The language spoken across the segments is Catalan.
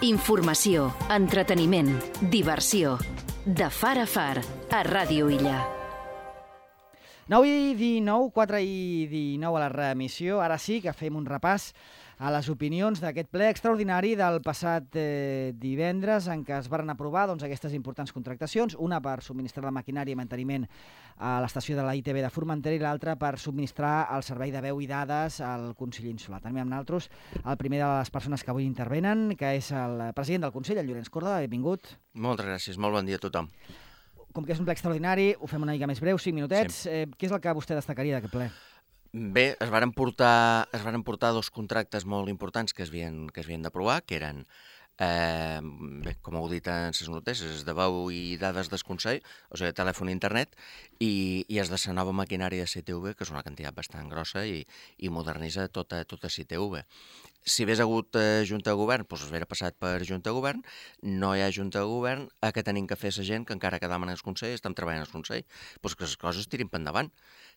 Informació, entreteniment, diversió. De far a far, a Ràdio Illa. 9:19, 4:19 a la reemissió. Ara sí que fem un repàs a les opinions d'aquest ple extraordinari del passat divendres, en què es varen aprovar aquestes importants contractacions, una per subministrar la maquinària i manteniment a l'estació de la ITV de Formentera i l'altra per subministrar el servei de veu i dades al Consell Insular. També amb nosaltres el primer de les persones que avui intervenen, que és el president del Consell, el Llorenç Córdoba. Benvingut. Moltes gràcies, molt bon dia a tothom. Com que és un ple extraordinari, ho fem una mica més breu, 5 minutets. Sí. Què és el que vostè destacaria d'aquest ple? Bé, es varen portar dos contractes molt importants que es havien d'aprovar, que eren, com heu dit en les notícies, de veu i dades del Consell, o sigui, telèfon i internet, i es de la nova maquinària de CTV, que és una quantitat bastant grossa i modernitza tota CTV. Si hagués hagut Junta de Govern, doncs es hauria passat per Junta de Govern. No hi ha Junta de Govern, què tenim que fer la gent que encara quedàvem en el Consell, estem treballant al Consell? Doncs que les coses tirin per endavant.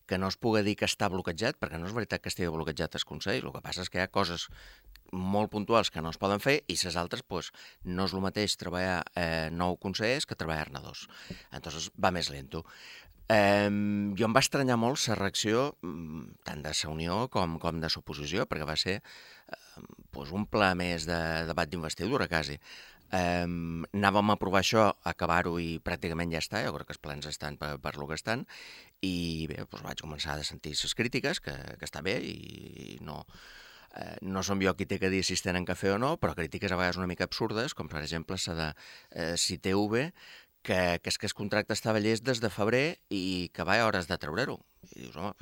Que no es pugui dir que està bloquejat, perquè no és veritat que estigui bloquejat el Consell. El que passa és que hi ha coses molt puntuals que no es poden fer i les altres, doncs, no és el mateix treballar 9 consellers que treballar-ne 2. Entonces va més lento. Jo em va estranyar molt la reacció tant de la Unió com de l'oposició, perquè va ser un ple més de debat d'investidura, quasi. Anàvem a aprovar això, acabar-ho i pràcticament ja està, jo crec que els plans estan per lo que estan, i bé, vaig començar a sentir les crítiques, que està bé, i no som jo qui té que dir si es tenen que fer o no, però crítiques a vegades una mica absurdes, com per exemple la de CTV, que és que el contracte estava llest des de febrer i que va a hores de treure-ho. I dius, home,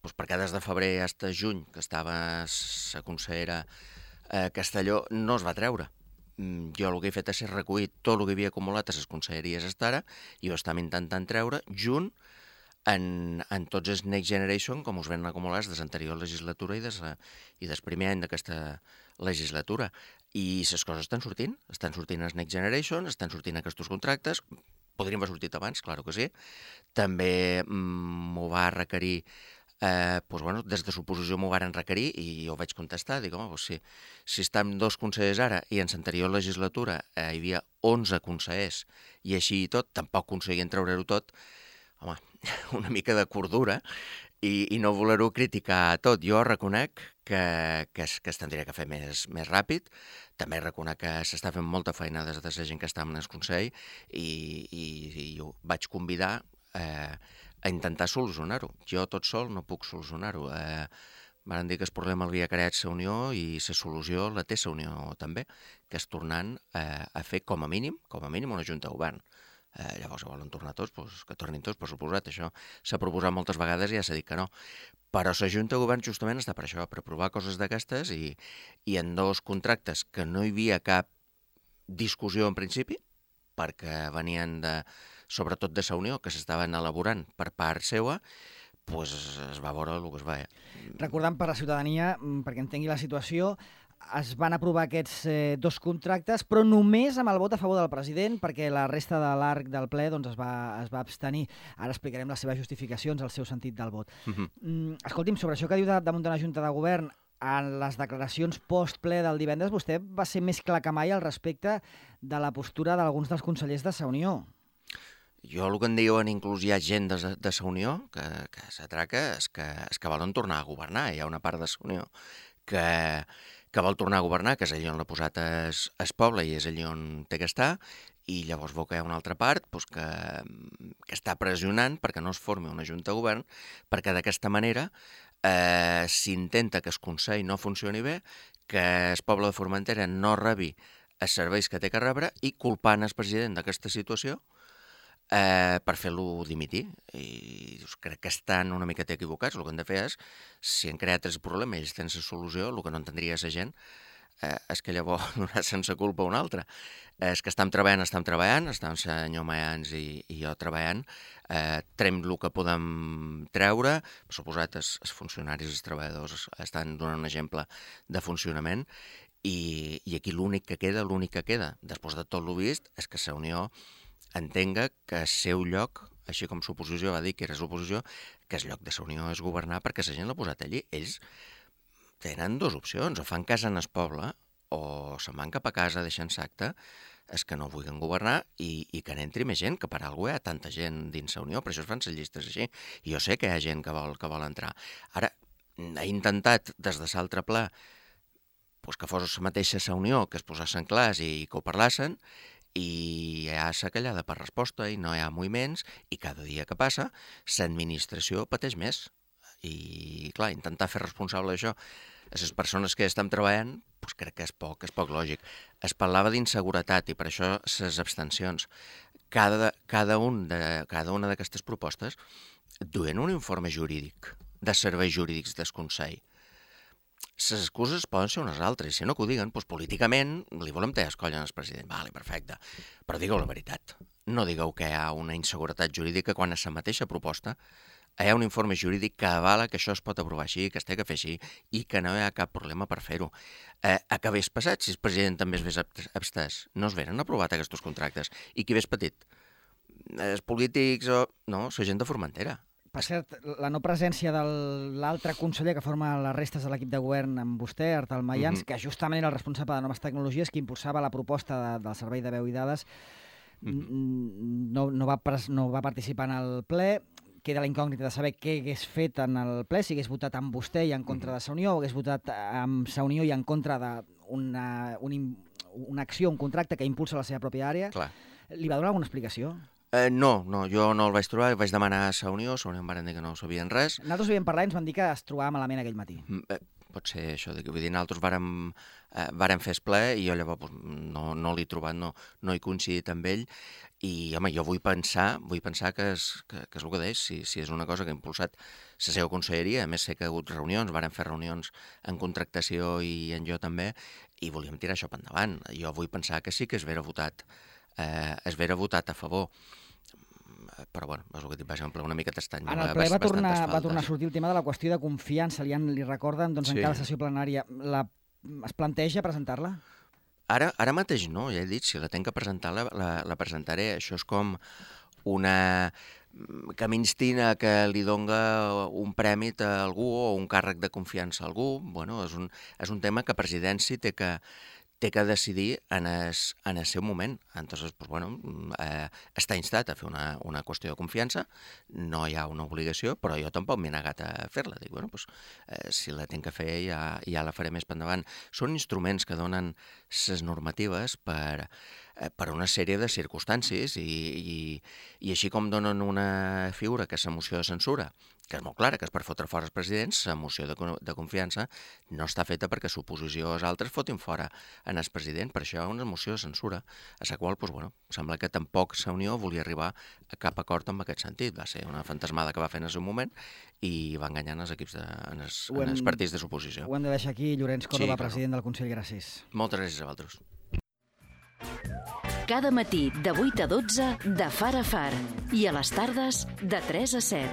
doncs perquè des de febrer fins a juny, que estava la consellera Castelló, no es va treure. Jo el que he fet és recollir tot el que havia acumulat a les conselleries fins ara i ho estem intentant treure junt en tots els Next Generation, com us ven acumulats des de l'anterior legislatura i del primer any d'aquesta legislatura. I les coses estan sortint els Next Generation, estan sortint aquests contractes, podrien haver sortit abans, clar que sí. També m'ho va requerir, des de l'oposició m'ho varen requerir i jo vaig contestar, dic, home, si estem 2 consellers ara i en l'anterior legislatura hi havia 11 consellers i així i tot, tampoc aconseguien treure-ho tot, home, una mica de cordura i no voler-ho criticar tot. Jo reconec que es tindria que fer més ràpid, també reconec que s'està fent molta feina des de la gent que està en el Consell i ho vaig convidar a intentar solucionar-ho. Jo tot sol no puc solucionar-ho. Van dir que el problema l'havia creat la Unió i la solució la té la Unió també, que és tornant a fer com a mínim una Junta de Govern. Llavors, si volen tornar tots, que tornin tots, per suposat. Això s'ha proposat moltes vegades i ja s'ha dit que no. Però la Junta de Govern justament està per això, per provar coses d'aquestes i en 2 contractes que no hi havia cap discussió en principi, perquè venien sobretot de la Unió, que s'estaven elaborant per part seva, es va veure el que es va. Recordant per la ciutadania, perquè entengui la situació, es van aprovar aquests 2 contractes, però només amb el vot a favor del president, perquè la resta de l'arc del ple es va abstenir. Ara explicarem les seves justificacions, el seu sentit del vot. Escolti'm, sobre això que diu de muntar una Junta de Govern, en les declaracions post-ple del divendres, vostè va ser més clar que mai al respecte de la postura d'alguns dels consellers de la Unió. Jo el que em diuen, inclús hi ha gent de la Unió que s'atraca, és que volen tornar a governar. Hi ha una part de la Unió que vol tornar a governar, que és allà on l'ha posat el poble i és allà on té que estar, i llavors veu que hi ha una altra part que està pressionant perquè no es formi una Junta de Govern, perquè d'aquesta manera s'intenta que el Consell no funcioni bé, que el poble de Formentera no rebi els serveis que té que rebre i culpant el president d'aquesta situació per fer-lo dimitir. I crec que estan una mica equivocats. El que han de fer és, si han creat el problema i ells tenen la solució, el que no entendria la gent és que llavors donar sense culpa a un altre. És que estem treballant, estem el senyor Mayans i jo treballant, trem el que podem treure, per suposat els funcionaris, els treballadors estan donant un exemple de funcionament, i aquí l'únic que queda, després de tot el vist, és que la Unió entenga que el seu lloc, així com l'oposició va dir que era l'oposició, que el lloc de la Unió és governar perquè la gent l'ha posat allí. Ells tenen 2 opcions, o fan casa en el poble o se'n van cap a casa deixant acte, és que no vulguin governar i que n'entri més gent, que per alguna cosa hi ha tanta gent dins la Unió, per això es fan les llistes així. I jo sé que hi ha gent que vol entrar. Ara, ha intentat, des de l'altre pla, que fos la mateixa la Unió, que es posessin clars i que ho parlassen, i hi ha la callada per resposta i no hi ha moviments, i cada dia que passa l'administració pateix més. I, clar, intentar fer responsable d'això a les persones que estan treballant, crec que és poc lògic. Es parlava d'inseguretat i per això les abstencions. Cada una d'aquestes propostes duen un informe jurídic de serveis jurídics del Consell. Les excuses poden ser unes altres, si no que ho diguen, políticament li volem tallar el coll al president. Vale, perfecte, però digueu la veritat. No digueu que hi ha una inseguretat jurídica quan a la mateixa proposta hi ha un informe jurídic que avala que això es pot aprovar així, que es té que fer així i que no hi ha cap problema per fer-ho. A què hagués passat si el president també es hagués abstès? No es veren aprovat aquests contractes. I qui hagués patit? Els polítics o... No, la gent de Formentera. Per cert, la no presència de l'altre conseller que forma les restes de l'equip de govern amb vostè, Artal Mayans, que justament era el responsable de noves tecnologies, que impulsava la proposta del Servei de Veu i Dades, no va participar en el ple. Queda la incògnita de saber què hagués fet en el ple, si hagués votat amb vostè i en contra de la Unió, o hagués votat amb la Unió i en contra d'una acció, un contracte que impulsa la seva pròpia àrea. Clar. Li va donar alguna explicació? No, jo no el vaig trobar, vaig demanar a la Unió em van dir que no sabien res. Nosaltres havíem parlat i ens van dir que es trobava malament aquell matí. Pot ser això, vull dir, nosaltres vàrem fer el ple i jo llavors no l'he trobat, no he coincidit amb ell i, home, jo vull pensar que és el que deix, si és una cosa que ha impulsat la seva conselleria. A més, sé que ha hagut reunions, vàrem fer reunions en contractació i en jo també, i volíem tirar això per endavant. Jo vull pensar que sí que es vera votat a favor. Però, bueno, és el que va ser una mica estrany. En el ple va tornar a sortir el tema de la qüestió de confiança. Li recorden, doncs, en cada sessió plenària. Es planteja presentar-la? Ara mateix no, ja he dit, si la tenc que presentar, la presentaré. Això és com una que m'instina que li dona un prèmit a algú o un càrrec de confiança a algú. Bueno, és un tema que Presidència té que decidir en el seu moment. Entonces, pues, bueno, està instat a fer una qüestió de confiança, no hi ha una obligació, però jo tampoc m'he negat a fer-la. Dic, bueno, pues, si la tinc que fer ja la faré més per endavant. Són instruments que donen les normatives per una sèrie de circumstàncies i així com donen una figura que és la moció de censura, que és molt clara, que és per fotre fora els presidents, la moció de confiança no està feta perquè l'oposició o els altres fotin fora en el president. Per això hi ha una moció de censura, a la qual, sembla que tampoc la Unió volia arribar a cap acord en aquest sentit. Va ser una fantasmada que va fer en el seu moment i va enganyant els equips en els partits de l'oposició. Ho hem de deixar aquí. Llorenç Córdoba, president del Consell, gràcies. Moltes gràcies a vosaltres. Cada matí de 8 a 12 de Far a Far i a les tardes de 3 a 7.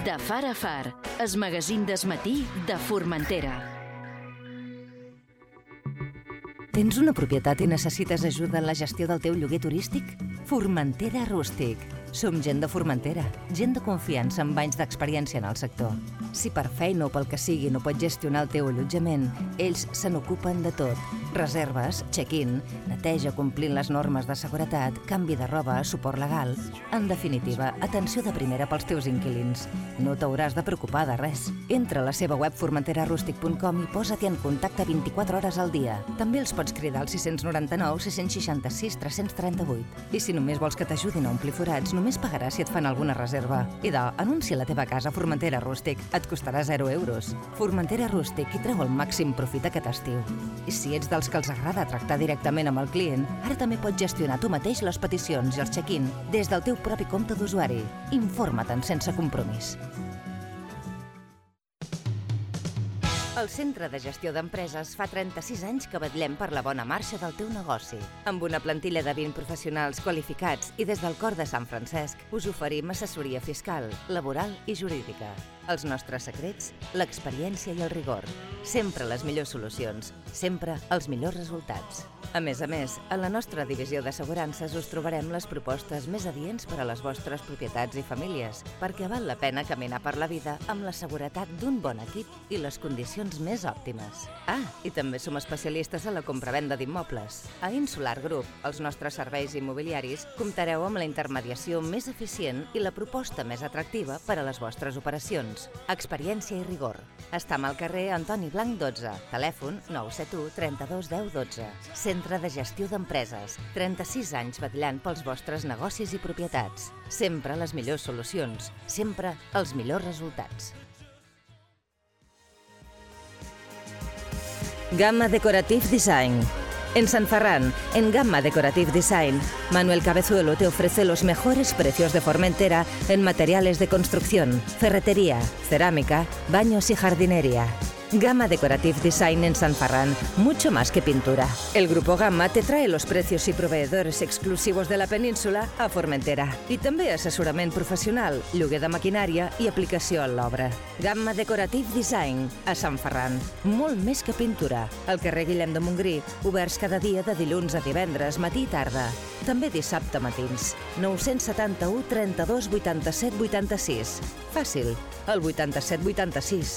De Far a Far, el magazín del matí de Formentera. Tens una propietat i necessites ajuda en la gestió del teu lloguer turístic? Formentera Rústic. Som gent de Formentera, gent de confiança amb anys d'experiència en el sector. Si per feina o pel que sigui no pots gestionar el teu allotjament, ells se n'ocupen de tot. Reserves, check-in, neteja complint les normes de seguretat, canvi de roba, suport legal... En definitiva, atenció de primera pels teus inquilins. No t'hauràs de preocupar de res. Entra a la seva web formenterarústic.com i posa-t'hi en contacte 24 hores al dia. També els pots cridar al 699 666 338. I si només vols que t'ajudin a omplir forats, només pagaràs si et fan alguna reserva. Idò, anuncia la teva casa a Formentera Rústic. Et costarà 0 euros. Formentera Rústic i treu el màxim profit aquest estiu. I si ets dels que els agrada tractar directament amb el client, ara també pots gestionar tu mateix les peticions i els check-in des del teu propi compte d'usuari. Informa-te'n sense compromís. El Centre de Gestió d'Empreses fa 36 anys que vetllem per la bona marxa del teu negoci. Amb una plantilla de 20 professionals qualificats i des del cor de Sant Francesc us oferim assessoria fiscal, laboral i jurídica. Els nostres secrets, l'experiència i el rigor. Sempre les millors solucions, sempre els millors resultats. A més, a la nostra divisió d'assegurances us trobarem les propostes més adients per a les vostres propietats i famílies, perquè val la pena caminar per la vida amb la seguretat d'un bon equip i les condicions solucions més òptimes. I també som especialistes a la compravenda d'immobles. A Insular Group, els nostres serveis immobiliaris, comptareu amb la intermediació més eficient i la proposta més atractiva per a les vostres operacions. Experiència i rigor. Estam al carrer Antoni Blanc 12, telèfon 971 32 10 12. Centre de Gestió d'Empreses, 36 anys vetllant pels vostres negocis i propietats. Sempre les millors solucions, sempre els millors resultats. Gamma Decorative Design. En San Ferran, en Gamma Decorative Design, Manuel Cabezuelo te ofrece los mejores precios de Formentera en materiales de construcción, ferretería, cerámica, baños y jardinería. Gamma Decorative Design en San Ferran, mucho más que pintura. El Grupo Gamma te trae los precios y proveedores exclusivos de la península a Formentera. I també assessorament professional, lloguer de maquinària i aplicació a l'obra. Gamma Decorative Design a Sant Ferran, molt més que pintura. Al carrer Guillem de Montgrí, oberts cada dia de dilluns a divendres, matí i tarda. També dissabte matins. 971 32 87 86. Fàcil, el 87 86.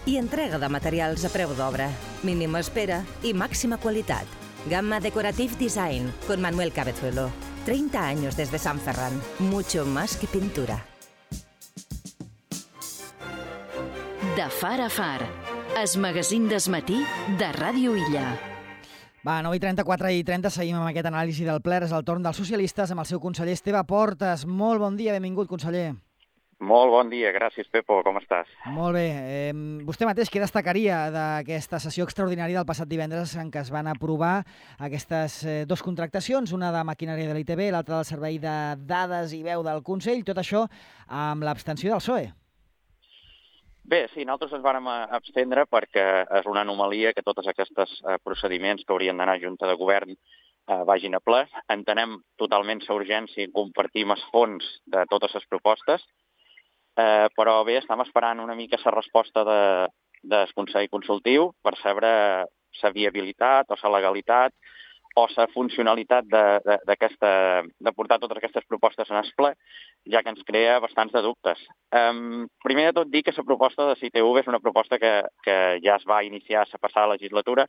I entrega de materials a preu d'obra. Mínima espera i màxima qualitat. Gamma Decorative Design, con Manuel Cabezuelo. 30 años desde San Ferran. Mucho más que pintura. De far a far. Es magazín d'esmatí de Ràdio Illa. Va, 9:34 i 30, seguim amb aquest anàlisi del ple. És el torn dels socialistes amb el seu conseller Esteve Portes. Molt bon dia, benvingut, conseller. Molt bon dia, gràcies, Pepo, com estàs? Molt bé. Vostè mateix, què destacaria d'aquesta sessió extraordinària del passat divendres en què es van aprovar aquestes dues contractacions, una de maquinària de l'ITB, l'altra del servei de dades i veu del Consell, tot això amb l'abstenció del PSOE? Bé, sí, nosaltres ens vàrem abstendre perquè és una anomalia que tots aquests procediments que haurien d'anar a Junta de Govern vagin a ple. Entenem totalment la urgència i compartim els fons de totes les propostes, però bé, estem esperant una mica la resposta del Consell Consultiu per saber la viabilitat o la legalitat o la funcionalitat de portar totes aquestes propostes en el ple, ja que ens crea bastants de dubtes. Primer de tot, dir que la proposta de CITV és una proposta que ja es va iniciar la passada legislatura,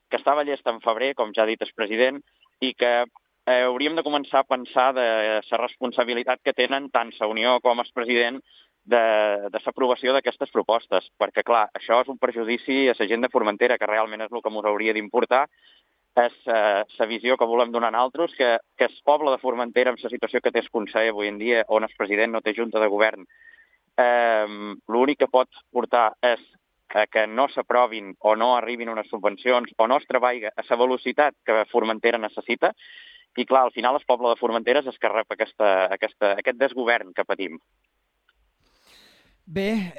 que estava llesta en febrer, com ja ha dit el president, i que hauríem de començar a pensar de la responsabilitat que tenen tant la Unió com el president de l'aprovació d'aquestes propostes, perquè, clar, això és un perjudici a la gent de Formentera, que realment és el que ens hauria d'importar, és la visió que volem donar a altres, que el poble de Formentera, amb la situació que té el Consell avui en dia, on el president no té junta de govern, l'únic que pot portar és que no s'aprovin o no arribin unes subvencions o no es treballa a la velocitat que Formentera necessita, i clar, al final el poble de Formentera és que rep aquest desgovern que patim. Bé,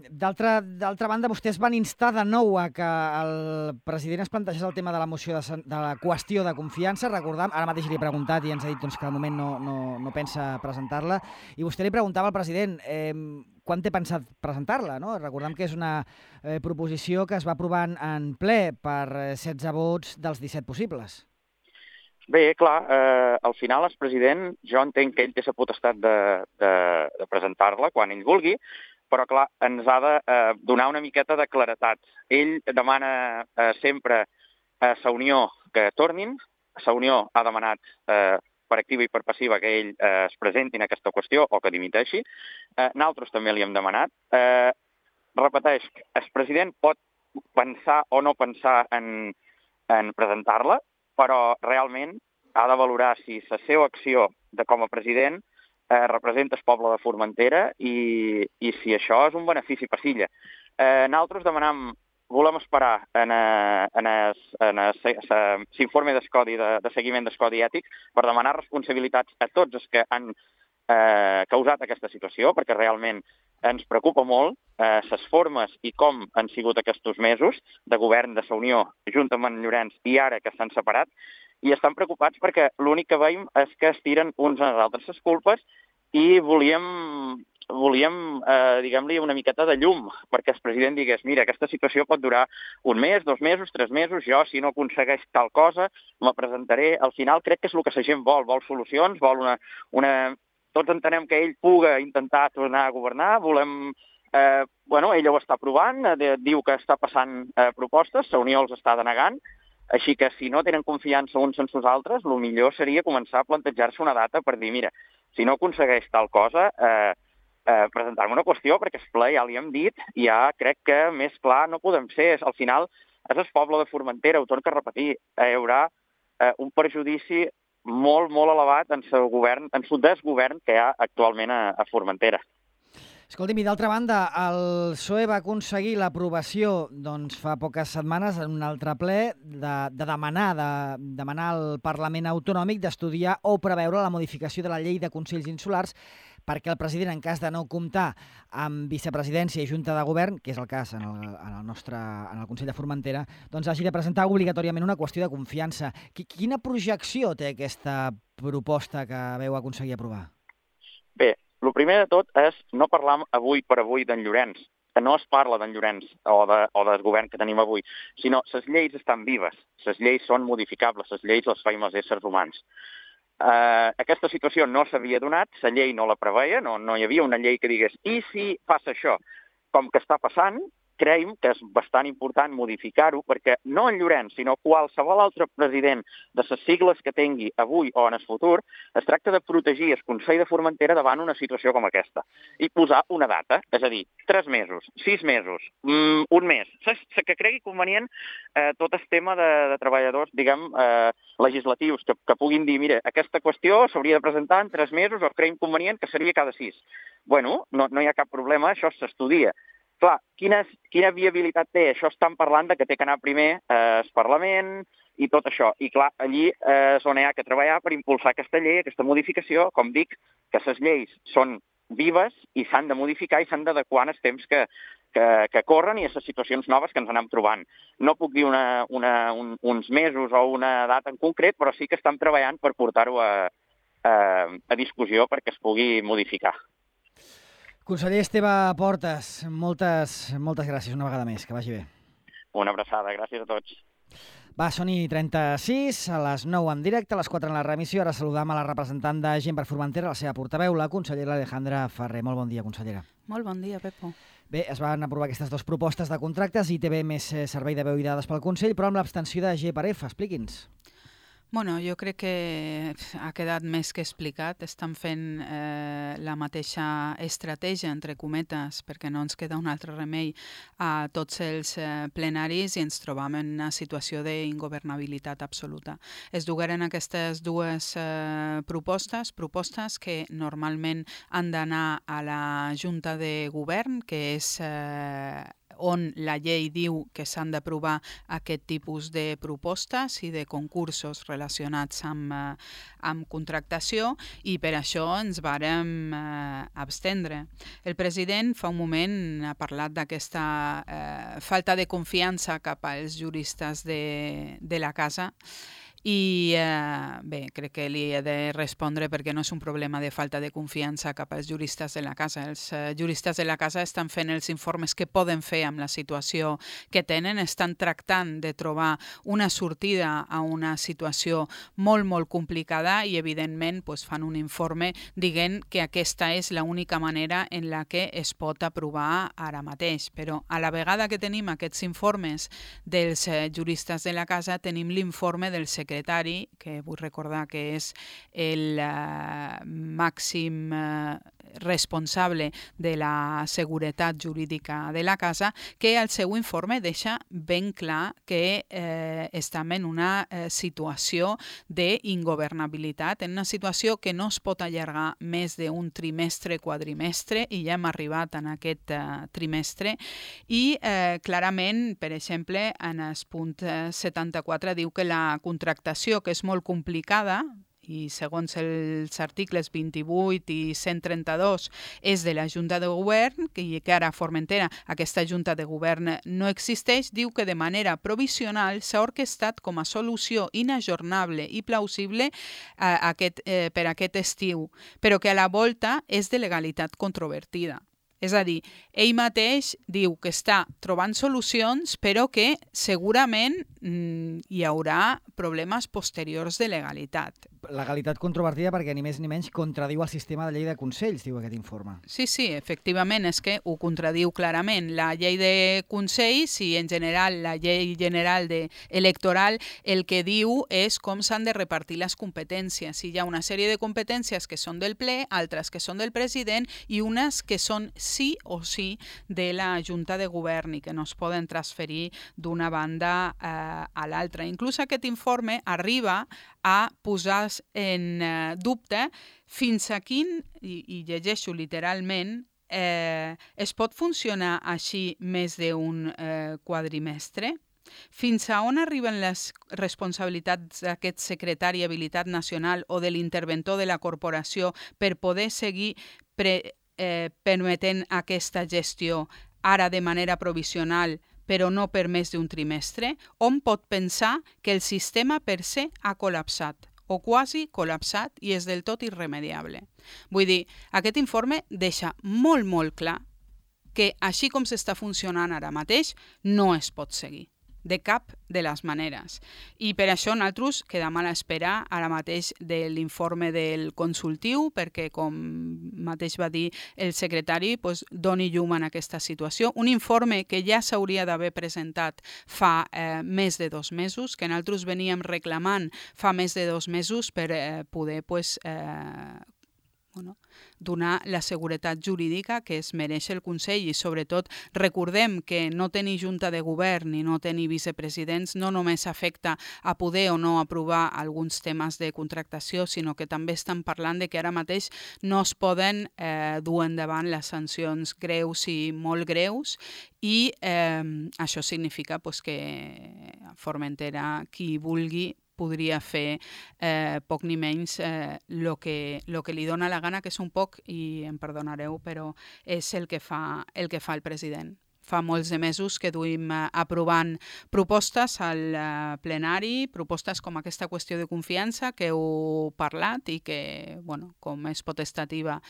d'altra banda, vostès van instar de nou a que el president es plantegés el tema de la moció de la qüestió de confiança. Recordam, ara mateix li he preguntat i ens ha dit que al moment no pensa presentar-la. I vostè li preguntava al president quan té pensat presentar-la, no? Recordam que és una proposició que es va aprovar en ple per 16 vots dels 17 possibles. Bé, clar, al final el president, jo entenc que ell té la potestat de presentar-la quan ell vulgui, però clar, ens ha de donar una miqueta de claretat. Ell demana sempre a la Unió que tornin, la Unió ha demanat per activa i per passiva que ell es presenti en aquesta qüestió o que dimiteixi. Nosaltres també li hem demanat. Repeteix, el president pot pensar o no pensar en presentar-la, però realment ha de valorar si la seva acció com a president representa el poble de Formentera i si això és un benefici per l'illa. Nosaltres volem esperar en l'informe de seguiment del codi ètic per demanar responsabilitats a tots els que han causat aquesta situació, perquè realment ens preocupa molt les formes i com han sigut aquests mesos de govern de la Unió junt amb en Llorenç i ara que s'han separat, i estan preocupats perquè l'únic que veiem és que es tiren uns als altres les culpes i volíem diguem-li, una miqueta de llum, perquè el president digués, mira, aquesta situació pot durar un mes, 2 mesos, 3 mesos, jo, si no aconsegueix tal cosa, me presentaré. Al final crec que és el que la gent vol solucions, vol una... Tots entenem que ell puga intentar tornar a governar, volem ella ho està aprovant, diu que està passant propostes, la Unió els està denegant, així que si no tenen confiança uns en els altres, el millor seria començar a plantejar-se una data per dir, mira, si no aconsegueix tal cosa, presentar-me una qüestió, perquè el ple ja li hem dit, i ja crec que més clar no podem ser. Al final, és el poble de Formentera, ho torno a repetir, hi haurà un perjudici molt, molt elevat en el desgovern que hi ha actualment a Formentera. Escolti'm, i d'altra banda, el PSOE va aconseguir l'aprovació fa poques setmanes en un altre ple de demanar al Parlament Autonòmic d'estudiar o preveure la modificació de la llei de Consells Insulars perquè el president, en cas de no comptar amb vicepresidència i junta de govern, que és el cas en el Consell de Formentera, doncs hagi de presentar obligatòriament una qüestió de confiança. Quina projecció té aquesta proposta que veu aconseguir aprovar? Bé, el primer de tot és no parlar avui per avui d'en Llorenç, que no es parla d'en Llorenç o del govern que tenim avui, sinó les lleis estan vives, les lleis són modificables, les lleis les feim els éssers humans. Aquesta situació no s'havia donat, la llei no la preveia, no hi havia una llei que digués i si passa això, com que està passant, creiem que és bastant important modificar-ho perquè no en Llorenç, sinó qualsevol altre president de les sigles que tingui avui o en el futur, es tracta de protegir el Consell de Formentera davant una situació com aquesta i posar una data, és a dir, 3 mesos, 6 mesos, un mes, que cregui convenient tot el tema de treballadors, diguem, legislatius, que puguin dir, mira, aquesta qüestió s'hauria de presentar en 3 mesos o creiem convenient que seria cada 6. Bueno, no hi ha cap problema, això s'estudia. Clar, quina viabilitat té? Això estan parlant de que té que anar primer al Parlament i tot això. I clar, allí és on hi ha que treballar per impulsar aquesta llei, aquesta modificació. Com dic, que les lleis són vives i s'han de modificar i s'han d'adequar en els temps que corren i a les situacions noves que ens anem trobant. No puc dir uns mesos o una data en concret, però sí que estem treballant per portar-ho a discussió perquè es pugui modificar. Conseller Esteve Portes, moltes gràcies una vegada més, que vagi bé. Una abraçada, gràcies a tots. Va, són 36, a les 9 en directe, a les 4 en la remissió. Ara saludam a la representant de Gent per Formentera, la seva portaveu, la consellera Alejandra Ferrer. Molt bon dia, consellera. Molt bon dia, Pepo. Bé, es van aprovar aquestes 2 propostes de contractes i té més servei de veu i dades pel Consell, però amb l'abstenció de G/F. Expliqui'ns. Bueno, jo crec que ha quedat més que explicat. Estan fent la mateixa estratègia, entre cometes, perquè no ens queda un altre remei a tots els plenaris i ens trobam en una situació d'ingovernabilitat absoluta. Es dugueren aquestes 2 propostes que normalment han d'anar a la Junta de Govern, que és on la llei diu que s'han d'aprovar aquest tipus de propostes i de concursos relacionats amb contractació i per això ens vàrem abstendre. El president fa un moment ha parlat d'aquesta falta de confiança cap als juristes de la casa i bé, crec que li he de respondre perquè no és un problema de falta de confiança cap als juristes de la casa. Els juristes de la casa estan fent els informes que poden fer amb la situació que tenen, estan tractant de trobar una sortida a una situació molt, molt complicada i evidentment fan un informe dient que aquesta és l'única manera en la que es pot aprovar ara mateix. Però a la vegada que tenim aquests informes dels juristes de la casa, tenim l'informe del secretari, que vull recordar que és el màxim responsable de la seguretat jurídica de la casa, que al seu informe deixa ben clar que estem en una situació d'ingovernabilitat, en una situació que no es pot allargar més d'un trimestre, quadrimestre, i ja hem arribat en aquest trimestre, i clarament, per exemple, en el punt 74 diu que la contractació, que és molt complicada, i segons els articles 28 i 132 és de la Junta de Govern, i que ara a Formentera aquesta Junta de Govern no existeix, diu que de manera provisional s'ha orquestat com a solució inajornable i plausible per aquest estiu, però que a la volta és de legalitat controvertida. És a dir, ell mateix diu que està trobant solucions, però que segurament hi haurà problemes posteriors de legalitat. Legalitat controvertida perquè ni més ni menys contradiu el sistema de llei de consells, diu aquest informe. Sí, efectivament, és que ho contradiu clarament. La llei de consells i en general la llei general electoral el que diu és com s'han de repartir les competències. Hi ha una sèrie de competències que són del ple, altres que són del president i unes que són sí o sí de la Junta de Govern i que no es poden transferir d'una banda a l'altra. Inclús aquest informe arriba a posar en dubte fins a quin, i llegeixo literalment, es pot funcionar així més d'un quadrimestre? Fins a on arriben les responsabilitats d'aquest secretari habilitat nacional o de l'interventor de la corporació per poder seguir permetent aquesta gestió ara de manera provisional però no per més d'un trimestre? Hom pot pensar que el sistema per se ha col·lapsat o quasi col·lapsat i és del tot irremediable. Vull dir, aquest informe deixa molt, molt clar que així com s'està funcionant ara mateix no es pot seguir, de cap de les maneres. I per això nosaltres quedam a l'espera ara mateix de l'informe del consultiu, perquè, com mateix va dir el secretari, doni llum en aquesta situació. Un informe que ja s'hauria d'haver presentat fa més de 2 mesos, que nosaltres veníem reclamant fa més de 2 mesos per poder donar la seguretat jurídica que es mereix el Consell i sobretot recordem que no tenir junta de govern i no tenir vicepresidents no només afecta a poder o no aprovar alguns temes de contractació, sinó que també estan parlant de que ara mateix no es poden dur endavant les sancions greus i molt greus i això significa que a Formentera qui vulgui podria fer poc ni menys el que li dona la gana, que és un poc, i em perdonareu, però és el que fa el president. Fa molts de mesos que duim aprovant propostes al plenari, propostes com aquesta qüestió de confiança que heu parlat i que, com és potestativa,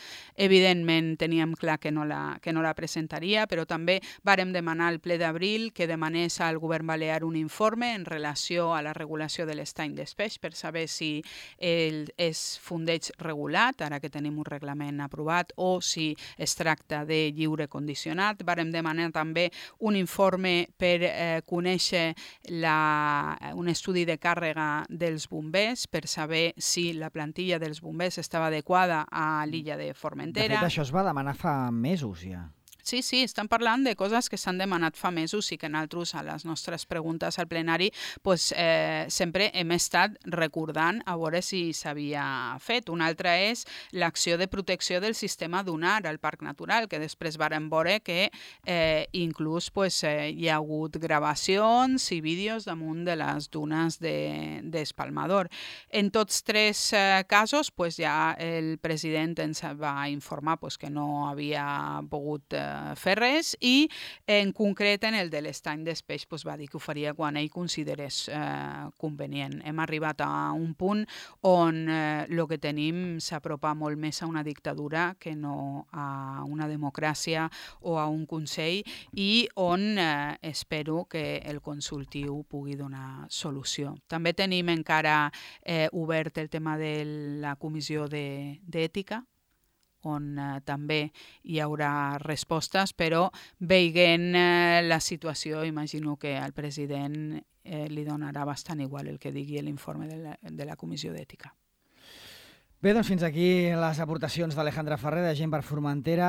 evidentment teníem clar que no la presentaria, però també vàrem demanar al ple d'abril que demanés al govern balear un informe en relació a la regulació de l'estany d'espeix per saber si és fondeig regulat, ara que tenim un reglament aprovat, o si es tracta de lliure condicionat. Vàrem demanar també un informe per conèixer un estudi de càrrega dels bombers per saber si la plantilla dels bombers estava adequada a l'illa de Formentera. De fet, això es va demanar fa mesos ja. Sí, estan parlant de coses que s'han demanat fa mesos i que nosaltres a les nostres preguntes al plenari sempre hem estat recordant a veure si s'havia fet. Una altra és l'acció de protecció del sistema dunar al Parc Natural, que després vàrem veure que inclús hi ha hagut gravacions i vídeos damunt de les dunes d'Espalmador. En tots 3 casos ja el president ens va informar que no havia pogut fer res i en concret en el de l'estany d'espeix va dir que ho faria quan ell considerés convenient. Hem arribat a un punt on el que tenim s'apropa molt més a una dictadura que no a una democràcia o a un consell i on espero que el consultiu pugui donar solució. També tenim encara obert el tema de la comissió d'ètica, on també hi haurà respostes, però veient la situació, imagino que al president li donarà bastant igual el que digui l'informe de la Comissió d'Ètica. Bé, doncs fins aquí les aportacions d'Alejandra Ferrer, de Gent per Formentera,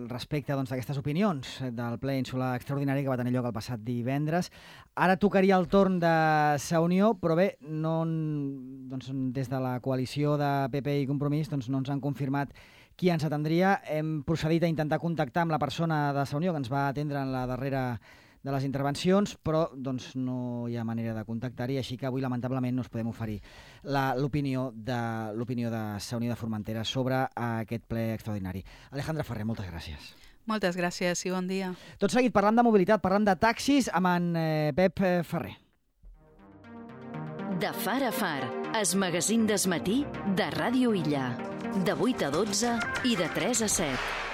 respecte d'aquestes opinions del ple insular extraordinari que va tenir lloc el passat divendres. Ara tocaria el torn de Sa Unió, però bé, des de la coalició de PP i Compromís no ens han confirmat qui ens atendria. Hem procedit a intentar contactar amb la persona de Sa Unió que ens va atendre en la darrera de les intervencions, però no hi ha manera de contactar-hi, així que avui lamentablement no us podem oferir l'opinió de Sa Unió de Formentera sobre aquest ple extraordinari. Alejandra Ferrer, moltes gràcies. Moltes gràcies i bon dia. Tot seguit parlant de mobilitat, parlant de taxis amb en Pep Ferrer. De far a far, es magazín d'esmatí de Ràdio Illa. De 8 a 12 i de 3 a 7.